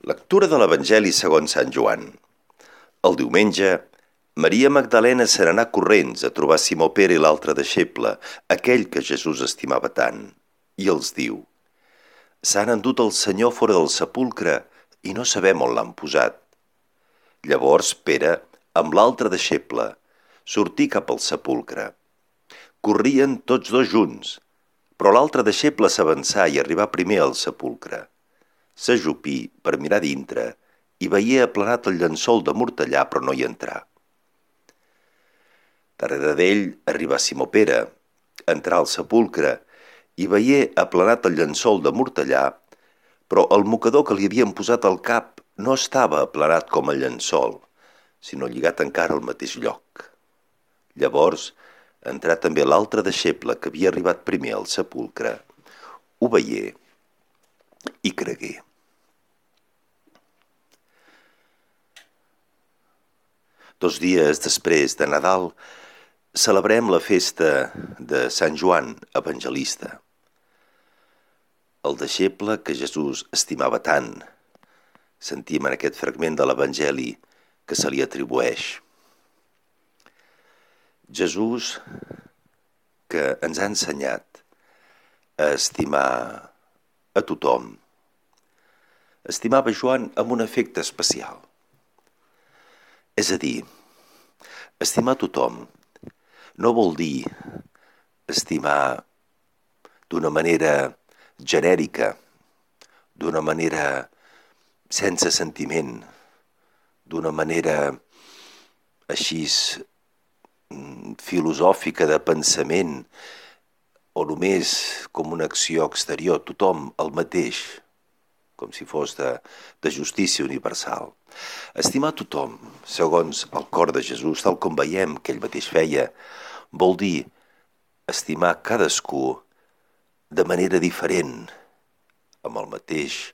Lectura de l'Evangeli segons Sant Joan. El diumenge, Maria Magdalena se n'anà corrents a trobar Simó Pere i l'altre deixeble, aquell que Jesús estimava tant, i els diu: «S'han endut el Senyor fora del sepulcre i no sabem on l'han posat». Llavors Pere, amb l'altre deixeble, sortí cap al sepulcre. Corrien tots dos junts, però l'altre deixeble s'avançà i arribà primer al sepulcre. S'ajupí per mirar dintre i veié aplanat el llençol de mortellà, però no hi entrà. Darrere d'ell arribà Simó Pere, entrà al sepulcre i veié aplanat el llençol de mortellà, però el mocador que li havien posat al cap no estava aplanat com el llençol, sinó lligat encara al mateix lloc. Llavors entrà també l'altre deixeble que havia arribat primer al sepulcre, ho veié i cregué. Dos dies després de Nadal celebrem la festa de Sant Joan Evangelista, el deixeble que Jesús estimava tant. Sentim en aquest fragment de l'Evangeli que se li atribueix. Jesús, que ens ha ensenyat a estimar a tothom, estimava Joan amb un afecte especial. És a dir, estimar a tothom no vol dir estimar d'una manera genèrica, d'una manera sense sentiment, d'una manera així filosòfica de pensament o només com una acció exterior, tothom el mateix, com si fos de justícia universal. Estimar tothom, segons el cor de Jesús, tal com veiem que ell mateix feia, vol dir estimar cadascú de manera diferent, amb el mateix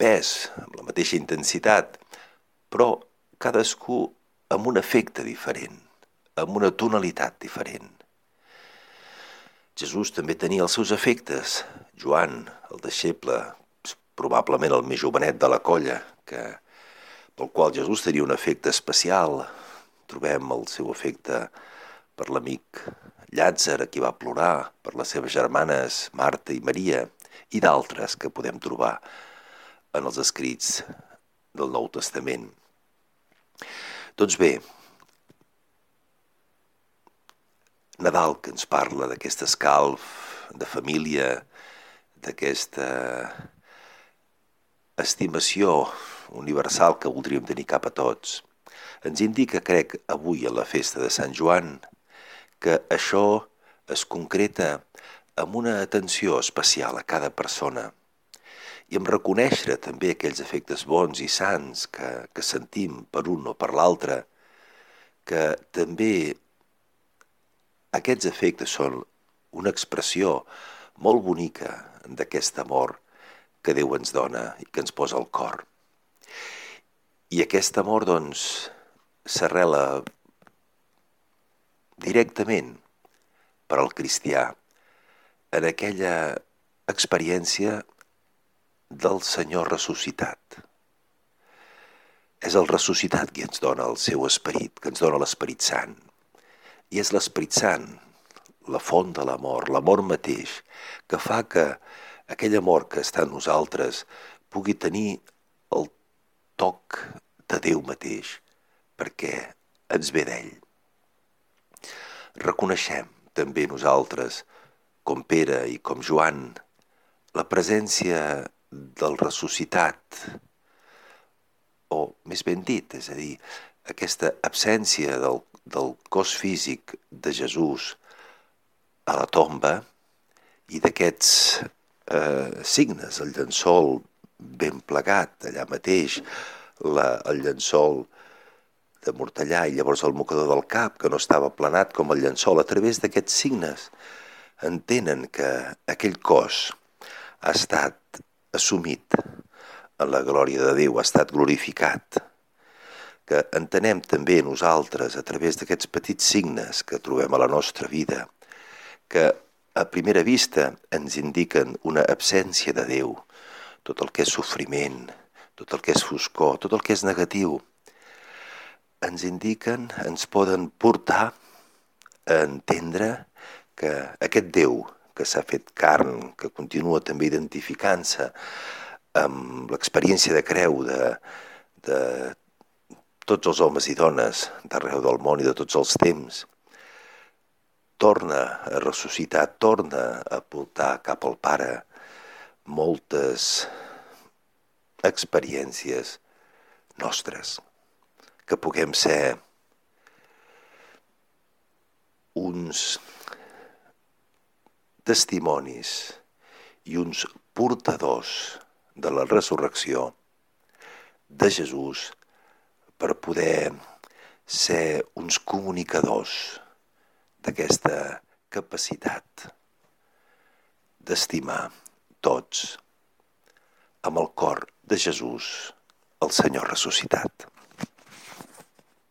pes, amb la mateixa intensitat, però cadascú amb un efecte diferent, amb una tonalitat diferent. Jesús també tenia els seus efectes. Joan, el deixeble, probablement el més jovenet de la colla, pel qual Jesús tenia un efecte especial. Trobem el seu efecte per l'amic Llàtzer, a qui va plorar, per les seves germanes Marta i Maria, i d'altres que podem trobar en els escrits del Nou Testament. Doncs bé, Nadal, que ens parla d'aquest escalf de família, d'aquesta estimació universal que voldríem tenir cap a tots, ens indica, crec, avui a la festa de Sant Joan, que això es concreta amb una atenció especial a cada persona i amb reconèixer també aquells efectes bons i sants que sentim per un o per l'altre, que també aquests efectes són una expressió molt bonica d'aquest amor que Déu ens dona i que ens posa al cor. I aquest amor, doncs, s'arrela directament per al cristià en aquella experiència del Senyor ressuscitat. És el ressuscitat qui ens dona el seu esperit, que ens dona l'Esperit Sant. I és l'Esperit Sant, la font de l'amor mateix, que fa que aquell amor que està en nosaltres pugui tenir el toc de Déu mateix, perquè ens ve d'ell. Reconeixem també nosaltres, com Pere i com Joan, la presència del ressuscitat, o més ben dit, és a dir, aquesta absència del cos físic de Jesús a la tomba i d'aquests signes, el llençol ben plegat allà mateix, el llençol de mortellà i llavors el mocador del cap, que no estava aplanat com el llençol. A través d'aquests signes entenen que aquell cos ha estat assumit en la glòria de Déu, ha estat glorificat. Que entenem també nosaltres, a través d'aquests petits signes que trobem a la nostra vida, que a primera vista ens indiquen una absència de Déu, tot el que és sofriment, tot el que és foscor, tot el que és negatiu, ens indiquen, ens poden portar a entendre que aquest Déu que s'ha fet carn, que continua també identificant-se amb l'experiència de creu de tots els homes i dones d'arreu del món i de tots els temps, torna a ressuscitar, torna a portar cap al Pare moltes experiències nostres, que puguem ser uns testimonis i uns portadors de la resurrecció de Jesús per poder ser uns comunicadors d'aquesta capacitat d'estimar tots amb el cor de Jesús, el Senyor ressuscitat.